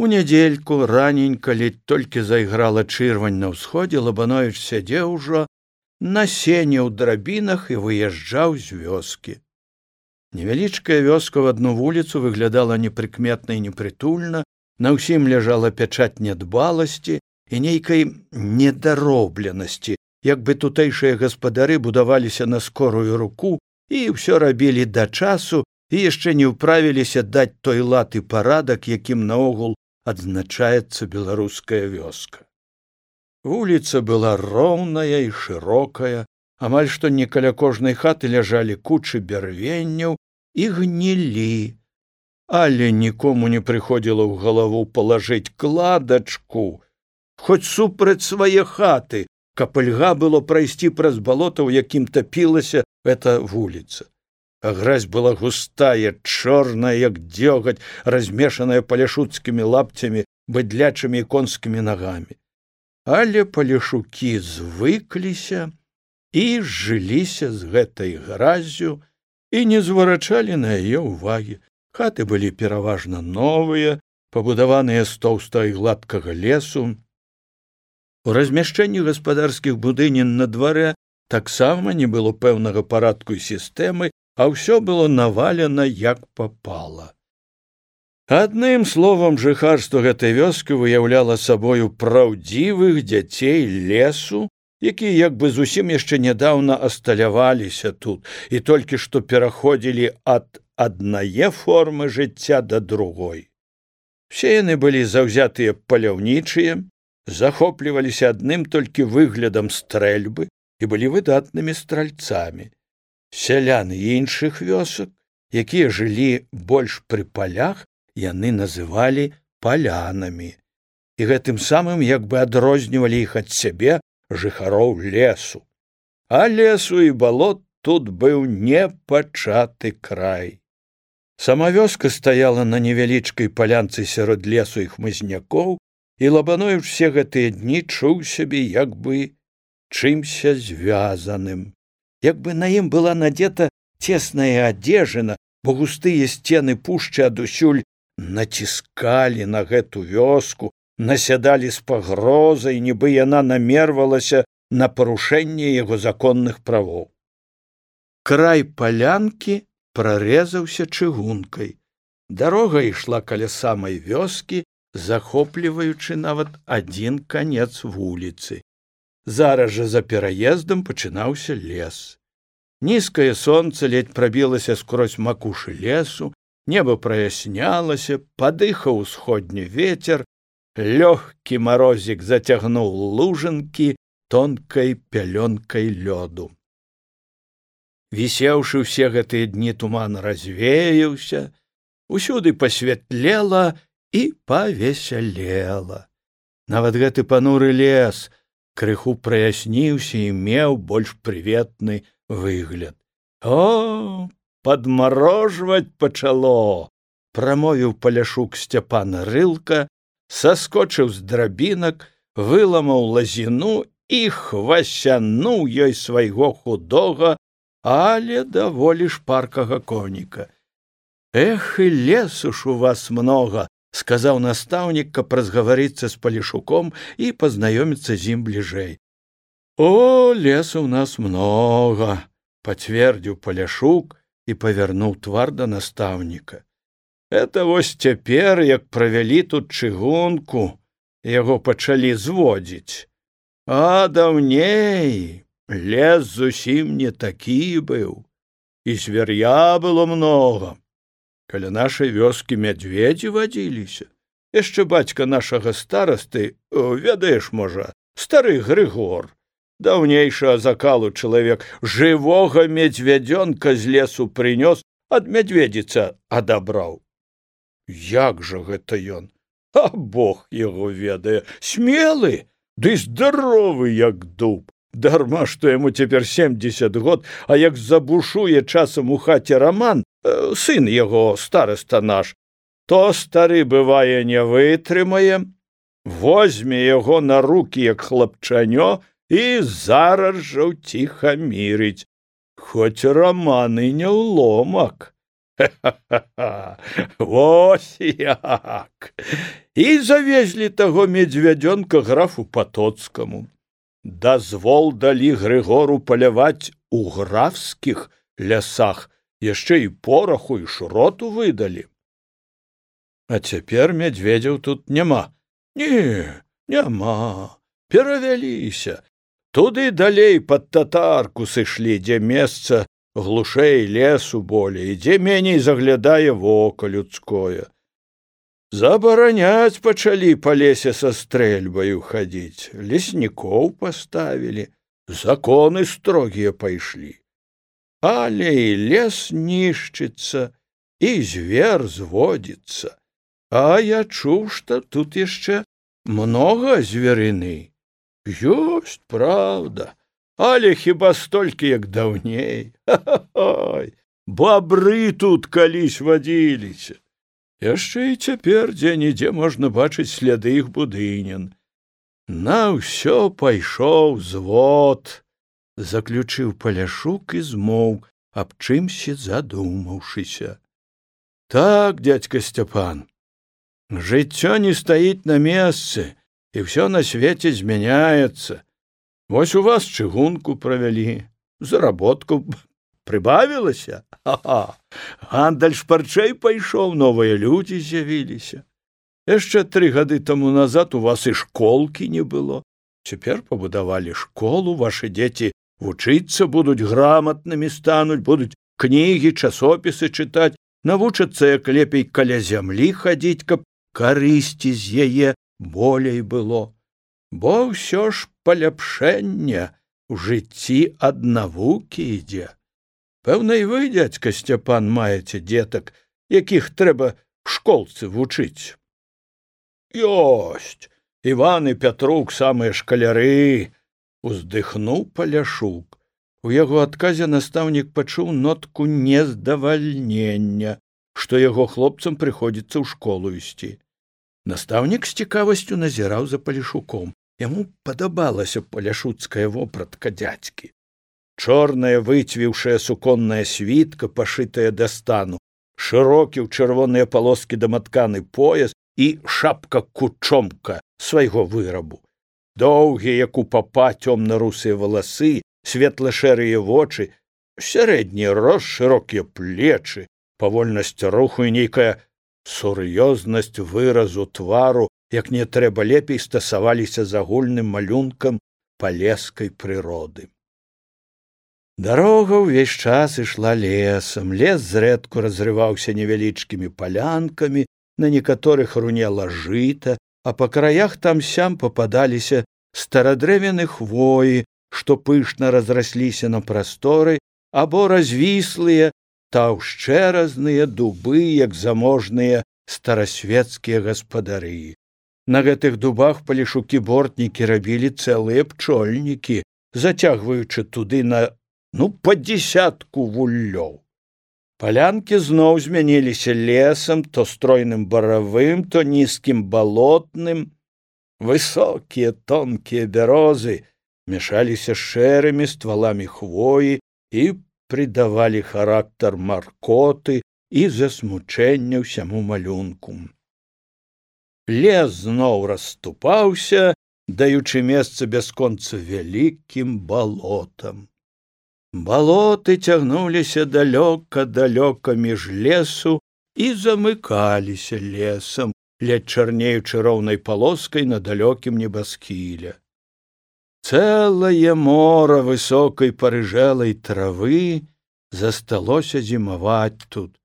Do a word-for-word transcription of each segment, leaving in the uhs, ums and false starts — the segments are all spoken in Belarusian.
У нядзельку раненька ледь толькі зайграла чырвань на ўсходзе, Лабановіч сядзеў ужо на сене ў драбінах і выязджаў з вёскі. Невялічкая вёска в адну вуліцу выглядала непрыкметна і непрытульна, на ўсім ляжала пячаць нядбаласці і нейкай недаробленасці, як бы тутэйшыя гаспадары будаваліся на скорую руку і ўсё рабілі да часу і яшчэ не ўправіліся даць той лад і парадак, якім наогул адзначаецца беларуская вёска. Вуліца была роўная і шырокая, амаль што не каля кожнай хаты ляжалі кучы бярвенняў і гнілі, але нікому не прыходзіла ў галаву палажыць кладачку, хоць супраць свае хаты, каб льга было прайсці праз балота, у якім тапілася эта вуліца. А гразь была густая, чорная, як дзёгаць, размешаная паляшуцкімі лапцямі, быдлячымі і конскімі нагамі. Але паляшукі звыкліся і жыліся з гэтай граззю і не зварачалі на яе ўвагі. Хаты былі пераважна новыя, пабудаваныя з тоўстага і гладкага лесу. У размяшчэнні гаспадарскіх будынін на дварэ таксама не было пэўнага парадку і сістэмы, а ўсё было навалена як папала. Адным словам, жыхарства гэтай вёскі выяўляла сабою праўдзівых дзяцей лесу, якія як бы зусім яшчэ нядаўна асталяваліся тут і толькі што пераходзілі ад аднае формы жыцця да другой. Все яны былі заўзятыя паляўнічыя, захопліваліся адным толькі выглядам стрэльбы і былі выдатнымі стральцамі. Сяляны іншых вёсак, якія жылі больш пры палях, яны называлі палянамі, і гэтым самым як бы адрознівалі іх ад сябе, жыхароў лесу. А лесу і балот тут быў непачаты край. Сама вёска стаяла на невялічкай палянцы сярод лесу і хмызнякоў, і Лабановіч все гэтыя дні чуў сябе як бы чымся звязаным. Як бы на ім была надета цесная адзежына, бо густыя сцены пушчы адусюль націскалі на гэту вёску, насядалі з пагрозай, нібы яна намервалася на парушэнне яго законных правоў. Край палянкі прарэзаўся чыгункай. Дарога ішла каля самай вёскі, захопліваючы нават адзін канец вуліцы. Зараз жа за пераездам пачынаўся лес. Нізкае сонца ледь прабілася скрозь макушы лесу, неба праяснялася, падыхаў усходні вецер, лёгкі марозік зацягнуў лужынкі тонкай пялёнкай лёду. Вісеўшы ўсе гэтыя дні туман развеяўся, усюды пасвятлела і павесялела. Нават гэты пануры лес крыху праясніўся і меў больш прыветны выгляд. О, падмарожваць пачало! Прамовіў паляшук Сцяпан Рылка, саскочыў з драбінак, выламаў лазіну і хвасянуў ёй свайго худога, але даволі шпаркага коніка. Эх, і лесу ж у вас много, сказаў настаўнік, каб разгаварыцца з паляшуком і пазнаёміцца з ім бліжэй. О, лесу у нас много, пацвердзіў паляшук і павярнуў твар да настаўніка. Это вось цяпер, як правялі тут чыгунку, яго пачалі зводзіць. А даўней лес зусім не такі быў, і звер'я было много. Каля нашай вёскі мядзведзі вадзіліся. Яшчэ бацька нашага старасты, ведаеш, можа, стары Грыгор, даўнейшага закалу чалавек, жывога медвядзёнка з лесу прынёс, ад мядзведзіца адабраў. Як жа гэта ён? А Бог яго ведае, смелы, ды здаровы, як дуб. Дарма, што яму цяпер семдзесят год, а як забушуе часам у хаце Раман, э, сын яго, стараста наш, то стары, бывае, не вытрымае, возьме яго на рукі, як хлапчанё, і зараз жа ўціхамірыць. Хоць Раман і не ўломак, Ха-ха-ха! Вось як! І завезлі таго медзвядзёнка графу Патоцкаму. Дазвол далі Грыгору паляваць у графскіх лясах, яшчэ і пораху і шроту выдалі. А цяпер мядзведзяў тут няма. Не, няма. Перавяліся. Туды далей пад татарку сышлі, дзе месца глушэй лесу болей, дзе меней заглядае вока людское. Забараняць пачалі па лесе са стрэльбаю хадзіць, леснікоў паставілі, законы строгія пайшлі. Але і лес нішчыцца, і звер зводзіцца. А я чуў, што тут яшчэ многа зверыны. Ёсць, правда, але хіба столькі, як даўней. Ха-ха-хай! Бабры тут калісь вадзіліся. Яшчэ і цяпер дзе-нідзе можна бачыць сляды іх будынян. На ўсё пайшоў звод, заключыў Паляшук і змоўк, аб чымсьці задумаўшыся. Так, дзядзька Сцяпан, жыццё не стаіць на месцы, і ўсё на свеце змяняецца. Вось у вас чыгунку правялі, заработку прыбавілася. Ха-ха! Гандаль шпарчэй пайшоў, новыя людзі з'явіліся. Яшчэ тры гады таму назад у вас і школкі не было. Цяпер пабудавалі школу, вашы дзеці вучыцца будуць, граматнымі стануць, будуць кнігі, часопісы чытаць, навучацца, як лепей каля зямлі хадзіць, каб карысці з яе болей было. Бо ўсё ж паляпшэнне ў жыцці ад навукі ідзе. Пэўна, і вы, дзядзька Сцяпан, маеце дзетак, якіх трэба в школцы вучыць. Ёсць! Іван і Пятрук самыя шкаляры! Уздыхнуў Паляшук. У яго адказе настаўнік пачуў нотку нездавальнення, што яго хлопцам прыходзіцца ў школу ісці. Настаўнік з цікавасцю назіраў за Паляшуком. Яму падабалася паляшуцкая вопратка дзядзькі. Чорная выцвіўшая суконная світка, пашытая да стану, шырокі ў чырвоныя палоскі даматканы пояс і шапка-кучомка свайго вырабу. Доўгія, як у папа, цёмна-русыя валасы, светла-шэрыя вочы, сярэдні рост, шырокія плечы, павольнасць руху і нейкая сур'ёзнасць выразу твару, як не трэба лепей стасаваліся з агульным малюнкам палескай прыроды. Дарога ўвесь час ішла лесам, лес зрэдку разрываўся невялічкімі палянкамі, на некаторых рунела жыта, а па краях там-сям пападаліся старадрэвяны хвоі, што пышна разрасліся на прасторы, або развіслыя, таўшчэразныя дубы, як заможныя старасветскія гаспадары. На гэтых дубах палешукі-бортнікі рабілі цэлыя пчольнікі, зацягваючы туды на, ну, па дзесятку вуллёў. Палянкі зноў змяніліся лесам, то стройным баравым, то нізкім балотным. Высокія тонкія бярозы мяшаліся шэрымі стваламі хвоі і придавалі характар маркоты і засмучэння ўсяму малюнку. Лес зноў расступаўся, даючы месца бясконца вялікім балотам. Балоты цягнуліся далёка-далёка між лесу і замыкаліся лесам, ледь чарнеючы роўнай палоскай на далёкім небасхіле. Цэлае мора высокай парыжэлай травы засталося зімаваць тут,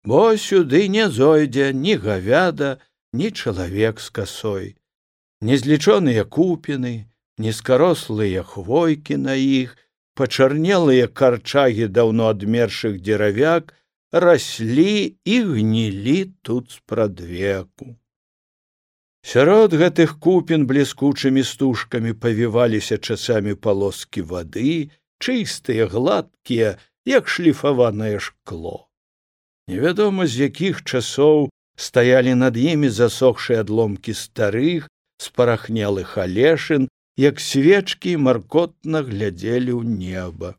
бо сюды не зойдзе ні гавяда, ні чалавек з касой. Незлічоныя купіны, нізкарослыя хвойкі на іх, пачарнелыя карчагі даўно адмершых дзеравяк раслі і гнілі тут спрадвеку. Сярод гэтых купін бліскучымі стужкамі павіваліся часамі палоскі вады, чыстыя, гладкія, як шліфаванае шкло. Невядома, з якіх часоў стаялі над імі засохшыя адломкі старых, спарахнелых алешын, як свечкі маркотна глядзелі ў неба.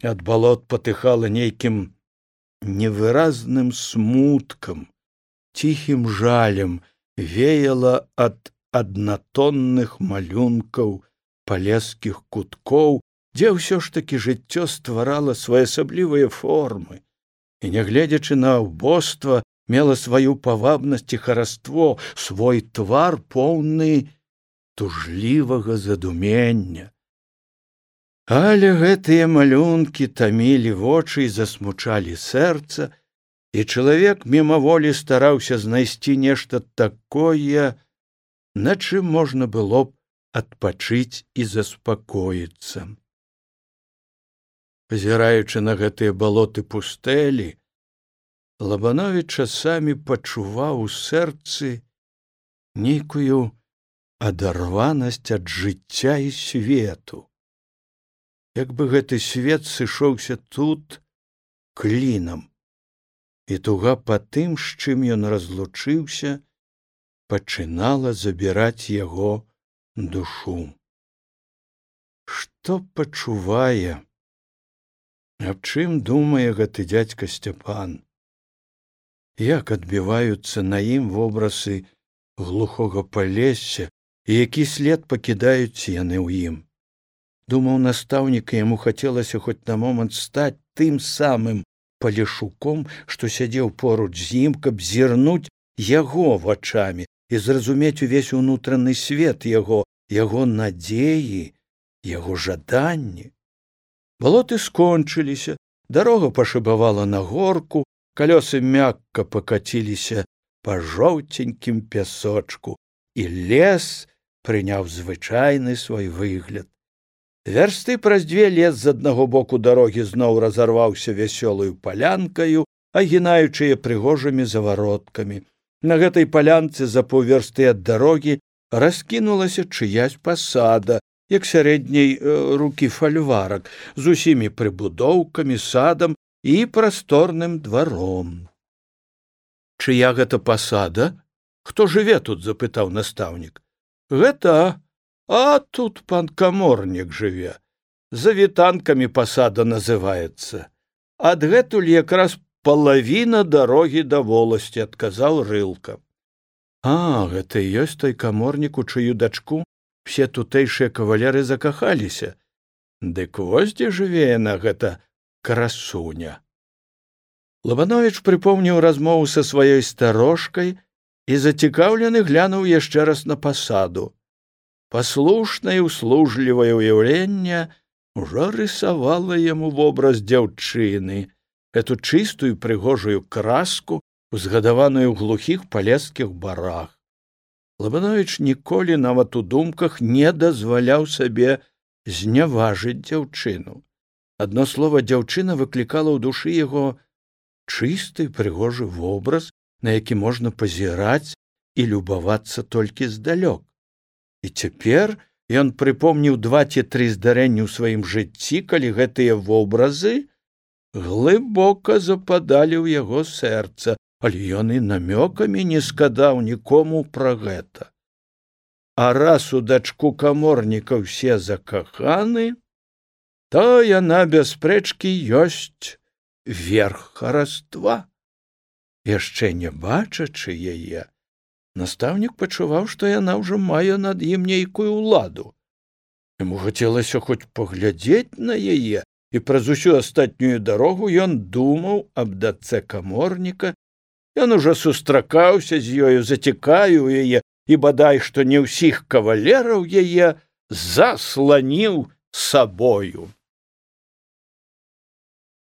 Ад балот патыхала нейкім невыразным смуткам, ціхім жалем веяла ад аднатонных малюнкаў палескіх куткоў, дзе ўсё ж такі жыццё стварала своеасаблівыя формы і, нягледзячы на ўбоства, мела сваю павабнасць і хараство, свой твар поўны тужлівага задумення. Але гэтыя малюнкі тамілі вочы і засмучалі сэрца, і чалавек мімаволі стараўся знайсці нешта такое, на чым можна было б адпачыць і заспакоіцца. Пазіраючы на гэтыя балоты пустэлі, Лабановіч часамі пачуваў у сэрцы нейкую адарванасць ад жыцця і свету. Як бы гэты свет сышоўся тут клінам, і туга па тым, з чым ён разлучыўся, пачынала забіраць яго душу. Што пачувае, аб чым думае гэты дзядзька Сцяпан? Як адбіваюцца на ім вобразы глухога палесся і які след пакідаюць яны ў ім? Думаў настаўнік, і яму хацелася хоць на момант стаць тым самым Палешуком, што сядзеў поруч з ім, каб зірнуць яго вачамі і зразумець увесь унутраны свет яго, яго надзеі, яго жаданні. Балоты скончыліся, дарога пашыбавала на горку, калёсы мякка пакаціліся па жоўценькім пясочку, і лес прыняў звычайны свой выгляд. Вярсты праз дзве лес з аднаго боку дарогі зноў разарваўся вясёлаю палянкаю, агінаючыя прыгожымі завароткамі. На гэтай палянцы за паўвярсты ад дарогі раскінулася чыясь пасада, як сярэдняй э, рукі фальварак, з усімі прыбудоўкамі, садам і прасторным дваром. Чыя гэта пасада? Хто жыве тут? Запытаў настаўнік. Гэта, а тут пан каморнік жыве. За вітанкамі пасада называецца. Адгэтуль якраз палавіна дарогі да воласці, адказаў Рылка. А, гэта і ёсць той каморнік, у чыю дачку все тутэйшыя кавалеры закахаліся. Дык вось дзе жыве яна, гэта красуня. Лабановіч прыпомніў размову са сваёй старошкай і зацікаўлены глянуў яшчэ раз на пасаду. Паслушнае і услужлівае ўяўленне ўжо рысавала яму вобраз дзяўчыны, эту чыстую прыгожую краску, узгадаваную ў глухіх палескіх барах. Лабановіч ніколі нават у думках не дазваляў сабе зняважыць дзяўчыну. Адно слова дзяўчына выклікала ў душы яго чысты прыгожы вобраз, на які можна пазіраць і любавацца толькі здалёк. І цяпер ён прыпомніў два ці тры здарэнні ў сваім жыцці, калі гэтыя вобразы глыбока западалі ў яго сэрца, але ён і намёкамі не сказаў нікому пра гэта. А раз у дачку каморніка ўсе закаханы, то яна без спрэчкі ёсць верх хараства. Яшчэ не бачачы яе, настаўнік пачуваў, што яна ўжо мае над ім нейкую ўладу. Яму хацелася хоць паглядзець на яе, і праз усю астатнюю дарогу ён думаў аб дачцэ каморніка. Ён ужо сустракаўся з ёю, зацікавіў яе, і бадай што не ўсіх кавалераў яе засланіў сабою.